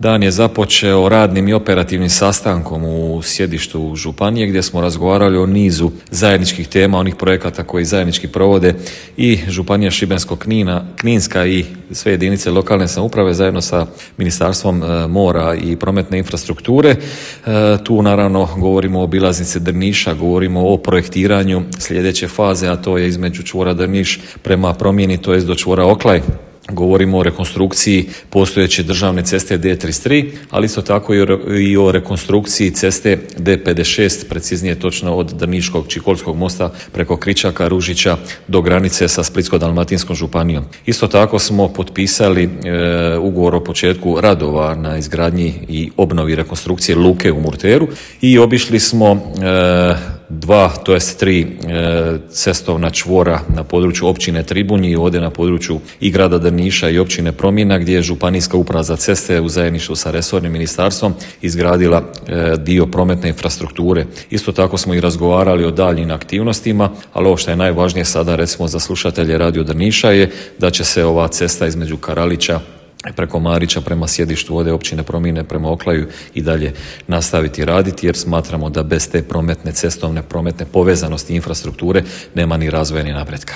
Dan je započeo radnim i operativnim sastankom u sjedištu županije gdje smo razgovarali o nizu zajedničkih tema, onih projekata koji zajednički provode i Županija Šibensko-kninska i sve jedinice lokalne samouprave zajedno sa Ministarstvom mora i prometne infrastrukture. Tu naravno govorimo o obilaznici Drniša, govorimo o projektiranju sljedeće faze, a to je između čvora Drniš prema promjeni, to je do čvora Oklaj. Govorimo o rekonstrukciji postojeće državne ceste D33, ali isto tako i o rekonstrukciji ceste D56, preciznije točno od Drniškog Čikolskog mosta preko Kričaka, Ružića do granice sa Splitsko-dalmatinskom županijom. Isto tako smo potpisali ugovor o početku radova na izgradnji i obnovi rekonstrukcije luke u Murteru i obišli smo tri cestovna čvora na području općine Tribunji i ovdje na području i grada Drniša i općine Promjena, gdje je Županijska uprava za ceste u zajedništvu sa resornim ministarstvom izgradila dio prometne infrastrukture. Isto tako smo i razgovarali o daljnjim aktivnostima, ali ovo što je najvažnije sada recimo za slušatelje Radio Drniša je da će se ova cesta između Karalića preko Marića prema sjedištu ovdje općine Promjene prema Oklaju i dalje nastaviti raditi, jer smatramo da bez te prometne, cestovne prometne povezanosti infrastrukture nema ni razvoja ni napretka.